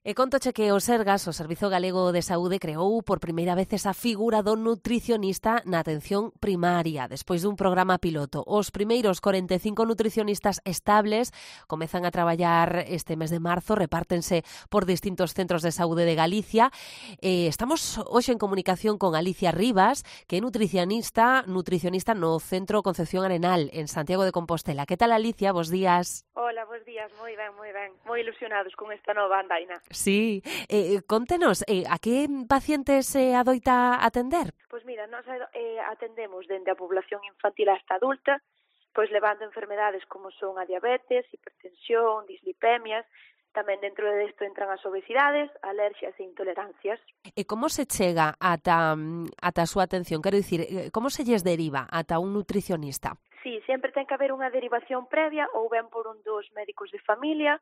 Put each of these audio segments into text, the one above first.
E contoche que o Sergas, o Servizo Galego de Saúde, creou por primeira vez esa figura do nutricionista na atención primaria, despois dun programa piloto. Os primeiros 45 nutricionistas estables comezan a traballar este mes de marzo, repártense por distintos centros de saúde de Galicia. Estamos hoxe en comunicación con Alicia Rivas, que é nutricionista no Centro Concepción Arenal, en Santiago de Compostela. Que tal, Alicia? Bos días. Hola, bos días, moi ben. Moi ilusionados con esta nova andaina. Sí, contenos, a que pacientes se adoita atender? Pois mira, nós atendemos dende a población infantil hasta adulta, pois levando enfermedades como son a diabetes, hipertensión, dislipemias. Tamén dentro desto entran as obesidades, alerxias e intolerancias. E como se chega ata a súa atención? Quero dicir, como se lles deriva ata un nutricionista? Sí, sempre ten que haber unha derivación previa, ou ben por un dos médicos de familia,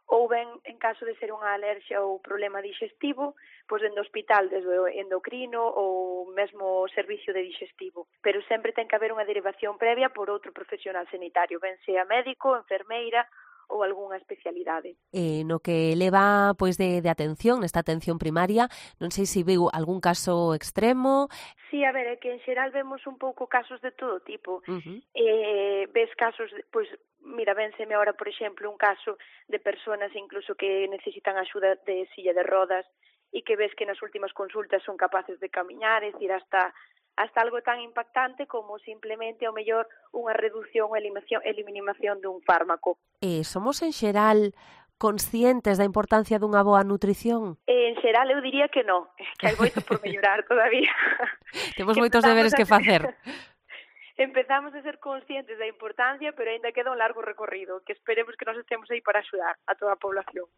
ou ben, en caso de ser unha alerxia ou problema digestivo, pois dende o hospital, desde o endocrino ou mesmo o servicio de digestivo. Pero sempre ten que haber unha derivación previa por outro profesional sanitario, ben sea médico, enfermeira ou algunha especialidade. No que leva pois de atención, nesta atención primaria, non sei se viu algún caso extremo. Sí, a ver, é que en xeral vemos un pouco casos de todo tipo. Ves casos, pois, mira, vénseme ahora, por exemplo, un caso de personas incluso que necesitan axuda de silla de rodas e que ves que nas últimas consultas son capaces de camiñar, é dicir, hasta algo tan impactante como simplemente, ao mellor, unha reducción ou eliminación dun fármaco. Somos, en xeral, conscientes da importancia dunha boa nutrición? En xeral, eu diría que non, que hai moito por mellorar todavía. Temos moitos deberes que facer. Empezamos a ser conscientes da importancia, pero ainda queda un largo recorrido, que esperemos que nos estemos aí para axudar a toda a población.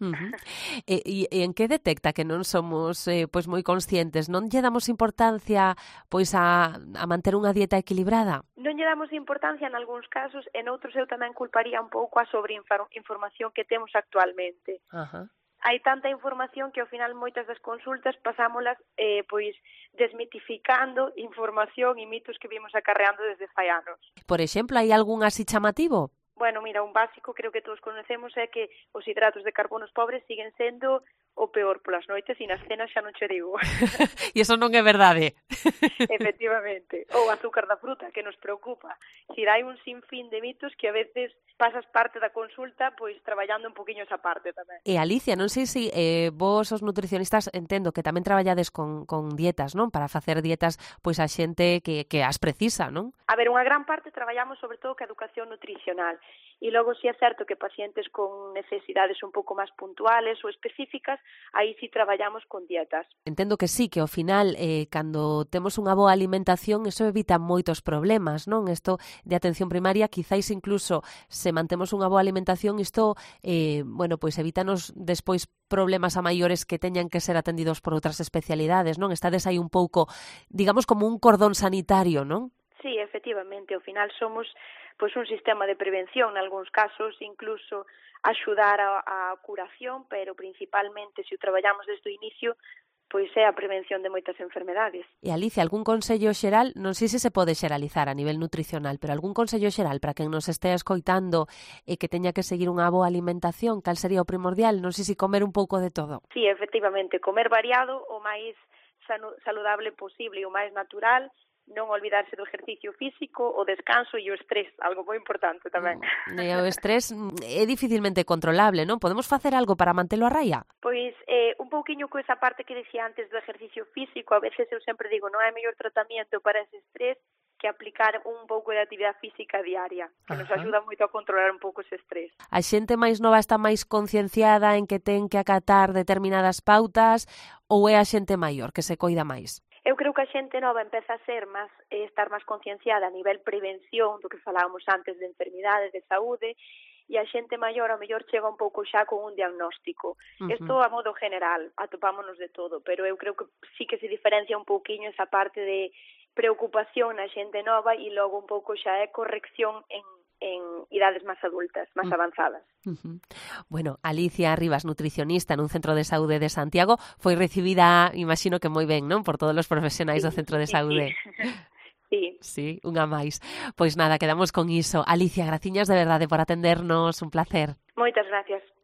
E en que detecta que non somos pois moi conscientes? Non lle damos importancia pois a manter unha dieta equilibrada? Non lle damos importancia en algúns casos, en outros eu tamén culparía un pouco a sobreinformación que temos actualmente. Hai tanta información que ao final moitas das consultas pasámolas pois desmitificando información e mitos que vimos acarreando desde fai anos. Por exemplo, hai algún así chamativo? Bueno, mira, un básico creo que todos conocemos é que os hidratos de carbonos pobres siguen sendo o peor polas noites e nas cenas xa non che digo. E iso non é verdade. Efectivamente. Ou azúcar da fruta, que nos preocupa. Si hai un sinfín de mitos que a veces pasas parte da consulta pois traballando un poquinho esa parte tamén. E Alicia, non sei se vos os nutricionistas entendo que tamén traballades con dietas, non? Para facer dietas pois a xente que as precisa, non? A ver, unha gran parte traballamos sobre todo ca educación nutricional. E logo si é certo que pacientes con necesidades un pouco máis puntuales ou específicas, aí si traballamos con dietas. Entendo que sí, que ao final, cando temos unha boa alimentación, eso evita moitos problemas, non? Isto de atención primaria, quizáis incluso se mantemos unha boa alimentación, isto, pois evítanos despois problemas a maiores que teñan que ser atendidos por outras especialidades, non? Estades aí un pouco, digamos, como un cordón sanitario, non? Sí, efectivamente, ao final somos pois un sistema de prevención, en algúns casos incluso axudar a curación, pero principalmente se o traballamos desde o inicio, pois é a prevención de moitas enfermedades. E Alicia, algún consello xeral, non sei se se pode xeralizar a nivel nutricional, pero algún consello xeral para quen nos estea escoitando e que teña que seguir unha boa alimentación, cal sería o primordial? Non sei se comer un pouco de todo. Sí, efectivamente, comer variado, o máis saludable posible e o máis natural, non olvidarse do exercicio físico, o descanso e o estrés, algo moi importante tamén. O estrés é dificilmente controlable, non? Podemos facer algo para mantelo a raia? Pois un pouquiño co esa parte que decía antes do exercicio físico, a veces eu sempre digo, non hai mellor tratamento para ese estrés que aplicar un pouco de actividade física diaria, que nos axuda moito a controlar un pouco ese estrés. A xente máis nova está máis concienciada en que ten que acatar determinadas pautas ou é a xente maior que se coida máis? Eu creo que a xente nova empeza a estar máis concienciada a nivel prevención do que falábamos antes de enfermidades, de saúde, e a xente maior ao mellor chega un pouco xa con un diagnóstico. Isto a modo general, atopámonos de todo, pero eu creo que sí que se diferencia un pouquiño esa parte de preocupación na xente nova e logo un pouco xa é corrección en idades máis adultas, máis avanzadas. Bueno, Alicia Rivas, nutricionista nun centro de saúde de Santiago, foi recibida, imagino que moi ben, non? Por todos os profesionais do centro de saúde. Sí, unha máis. Pois nada, quedamos con iso. Alicia, graciñas de verdade por atendernos, un placer. Moitas gracias.